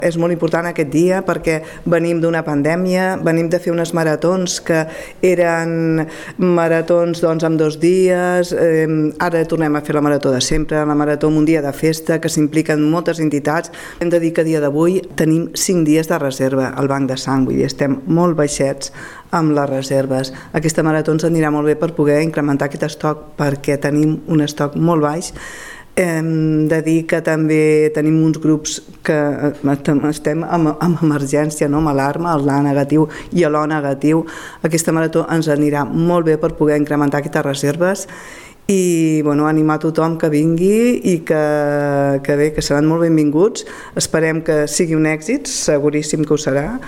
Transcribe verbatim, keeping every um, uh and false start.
És molt important aquest dia perquè venim d'una pandèmia, venim de fer unes maratons que eren maratons doncs, en dos dies, eh, ara tornem a fer la marató de sempre, la marató amb un dia de festa, que s'impliquen moltes entitats. Hem de dir que a dia d'avui tenim cinc dies de reserva al banc de sang, vull dir, estem molt baixets amb les reserves. Aquesta marató ens anirà molt bé per poder incrementar aquest estoc perquè tenim un estoc molt baix. Hem de dir que també tenim uns grups que estem amb, amb emergència, no? Amb alarma, el A negatiu i l'O negatiu. Aquesta marató ens anirà molt bé per poder incrementar aquestes reserves i bueno, animar tothom que vingui i que, que bé, que seran molt benvinguts. Esperem que sigui un èxit, seguríssim que ho serà.